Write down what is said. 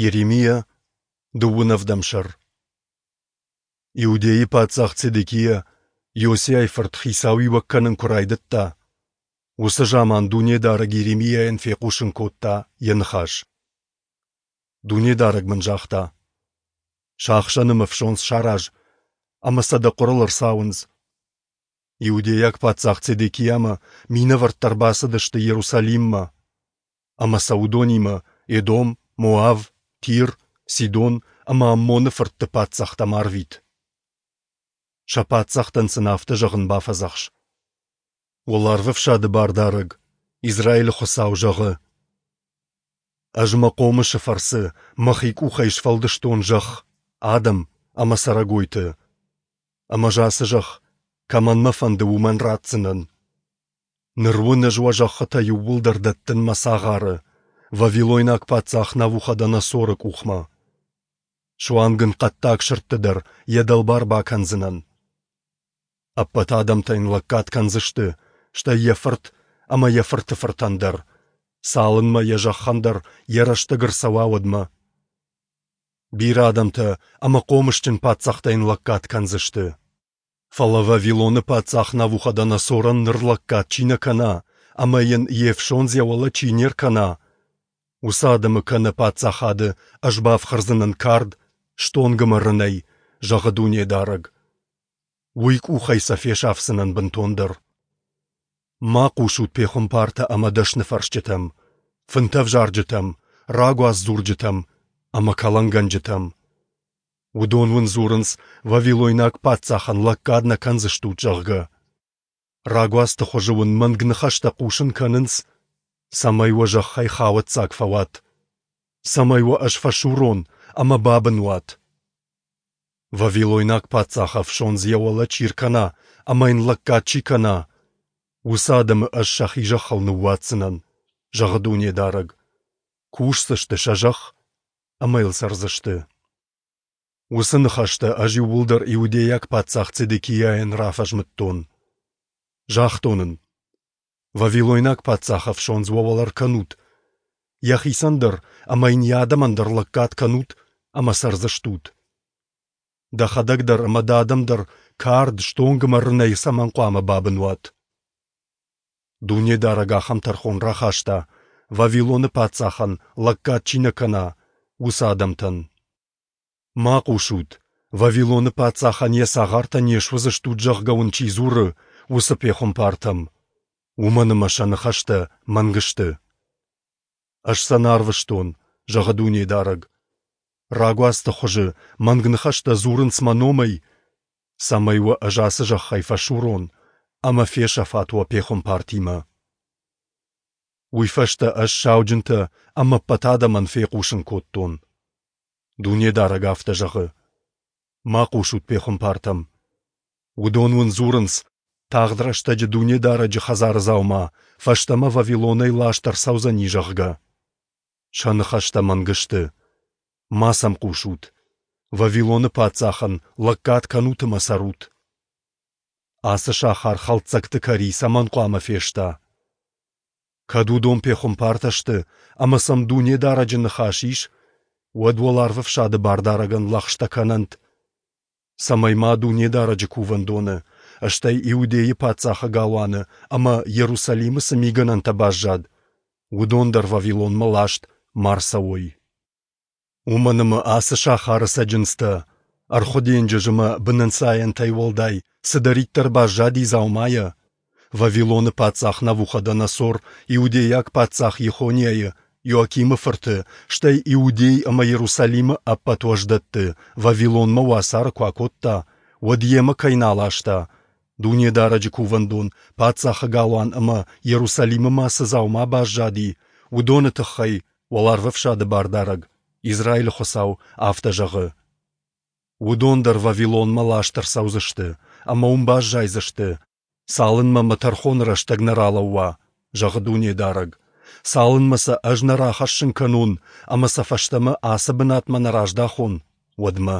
Йеремиа, дыууын ӕвдӕм сӕр. Иудейы паддзах Цедекиа Иосиайы фырт хицауиуӕг кӕнын куы райдыдта, уыцы заман Дунедарӕг Йеремиайӕн фехъусын кодта йӕ ныхас. Дунедарӕг мын загъта: Сахсӕны мӕ фсондз сараз ӕмӕ сӕ дӕ хъуырыл ӕрцауындз. Иудейаг паддзах Цедекиамӕ минӕвӕрттӕ ӕрбацыдысты Иерусалиммӕ, ӕмӕ сӕ уыдонимӕ Эдом, Моав, Тир, Сидон ӕмӕ Аммоны фыртты паддзӕхтӕм арвит. Сӕ паддзӕхтӕн сын афтӕ зӕгъын бафӕдзӕхс: Уӕларвӕфсады Бардарӕг, Израилы Хуыцау, зӕгъы: Ӕз мӕ хъомысы фӕрцы мӕхи къухӕй сфӕлдыстон зӕхх, адӕм ӕмӕ цӕрӕгойты. Ӕмӕ ӕз ацы зӕхх, кӕмӕн мӕ фӕнды, уымӕн ратдзынӕн. Ныр уын ӕз уӕ зӕххытӕ иууылдӕр дӕттын мӕ цагъары, вавилойнаг паддзах Навуходоносоры къухмӕ. Суанг ын хъӕддаг сырдты дӕр йӕ дӕлбар бакӕндзынӕн. Ӕппӕт адӕмтӕ йын лӕггад кӕндзысты, стӕй йӕ фырт ӕмӕ йӕ фырты фыртӕн дӕр, цалынмӕ йӕ зӕххӕн дӕр йӕ рӕстӕг ӕрцӕуа, уӕдмӕ. Бирӕ адӕмтӕ ӕмӕ хъомысджын паддзӕхтӕ йын лӕггад кӕндзысты. Фӕлӕ Вавилоны паддзах Навуходоносорӕн ныр лӕггад чи нӕ кӕна ӕмӕ йын йе фсондз йӕ уӕлӕ чи не ркӕна, уыцы адӕмы кӕнӕ паддзахады ӕз бафхӕрдзынӕн кард, стонг ӕмӕ рынӕй, зӕгъы Дунедарӕг. Уый къухӕй сӕ фесафдзынӕн бынтондӕр. Ма хъусут пехуымпартӕ ӕмӕ дӕсныфӕрсджытӕм, фынтӕвзарджытӕм, рагуадздзурджытӕм ӕмӕ кӕлӕнгӕнджытӕм. Уыдон уын дзурынц, вавилойнаг паддзахӕн лӕггад нӕ кӕндзыстут, зӕгъгӕ. Рагуадзты хуызы уын мӕнг ныхӕстӕ хъусын кӕнынц, цӕмӕй уӕ зӕххӕй хауӕццаг фӕуат, цӕмӕй уӕ ӕз фӕсурон ӕмӕ бабын уат. Вавилойнаг паддзахы ӕфсондз йӕ уӕлӕ чи ркӕна ӕмӕ йын лӕггад чи кӕна, уыцы адӕмы ӕз сӕхи зӕххыл ныууадздзынӕн, зӕгъы Дунедарӕг. Кусдзысты сӕ зӕхх ӕмӕ йыл цӕрдзысты. Уыцы ныхӕстӕ ӕз иууылдӕр иудейаг паддзах Цедекиайӕн рафӕзмыдтон. Загътон ын: Вавилойнаг паддзахы ӕфсондз уӕ уӕлӕ ӕркӕнут, йӕхицӕн дӕр ӕмӕ йын йӕ адӕмӕн дӕр лӕггад кӕнут ӕмӕ цӕрдзыстут. Дӕхӕдӕг дӕр ӕмӕ дӕ адӕм дӕр кард, стонг ӕмӕ рынӕй цӕмӕн хъуамӕ бабын уат? Дунедарӕг ахӕм тӕрхон рахаста, Вавилоны паддзахӕн лӕггад чи нӕ кӕна, уыцы адӕмтӕн. Ма хъусут, Вавилоны паддзахӕн йӕ цагъартӕ не суыдзыстут, зӕгъгӕ уын чи дзуры, уыцы пехуымпартӕм, уымӕн ӕмӕ сӕ ныхӕстӕ мӕнг сты. Ӕз сӕ нӕ арвыстон, зӕгъы Дунедарӕг. Рагуадзты хуызы мӕнг ныхӕстӕ дзурынц мӕ номӕй, цӕмӕй уӕ ӕз ацы зӕххӕй фӕсурон ӕмӕ фесӕфат уӕ пехуымпартимӕ. Уый фӕстӕ ӕз сауджынтӕ ӕмӕ ӕппӕт адӕмӕн фехъусын кодтон. Дунедарӕг афтӕ зӕгъы: Ма хъусут пехуымпартӕм. Уыдон уын дзурынц, тагъд рӕстӕджы Дунедарӕджы хӕдзары дзаума фӕстӕмӕ Вавилонӕй ласт ӕрцӕудзӕни, зӕгъгӕ. Сӕ ныхӕстӕ мӕнг сты. Ма сӕм хъусут. Вавилоны паддзахӕн лӕггад кӕнут ӕмӕ цӕрут. Ацы сахар хӕлддзӕгты кӕри цӕмӕн хъуамӕ феста? Кӕд уыдон пехуымпартӕ сты ӕмӕ сӕм Дунедарӕджы ныхас ис, уӕд уӕларвӕфсады Бардарӕгӕн лӕгъстӕ кӕнӕнт, цӕмӕй ма Дунедарӕджы кувӕндоны, стӕй Иудейы паддзахы галуаны ӕмӕ Иерусалимы цы мигӕнӕнтӕ баззад, уыдон дӕр Вавилонмӕ ласт ма рцӕуой. Уымӕн ӕмӕ ацы сахары цӕджындзтӕ, ӕрхуы денджыз ӕмӕ бынӕнцайӕнтӕй уӕлдай цыдӕриддӕр баззади дзаумайӕ, Вавилоны паддзах Навуходоносор иудейаг паддзах Йехониайы, Иоакимы фырты, стӕй Иудей ӕмӕ Иерусалимы ӕппӕт уӕздӕтты Вавилонмӕ уацары куы акодта, уӕд йемӕ кӕй нӕ аласта, Дунедарӕджы кувӕндон, паддзахы галуан ӕмӕ Иерусалимы ма цы дзаума баззади, уыдоны тыххӕй Уӕларвӕфсады Бардарӕг, Израилы Хуыцау, афтӕ зӕгъы: Уыдон дӕр Вавилонмӕ ласт ӕрцӕудзысты ӕмӕ уым баззайдзысты, цалынмӕ мӕ тӕрхоны рӕстӕг нӕ ралӕууа, зӕгъы Дунедарӕг, цалынмӕ сӕ ӕз нӕ рахӕссын кӕнон ӕмӕ сӕ фӕстӕмӕ ацы бынатмӕ нӕ раздахон, уӕдмӕ.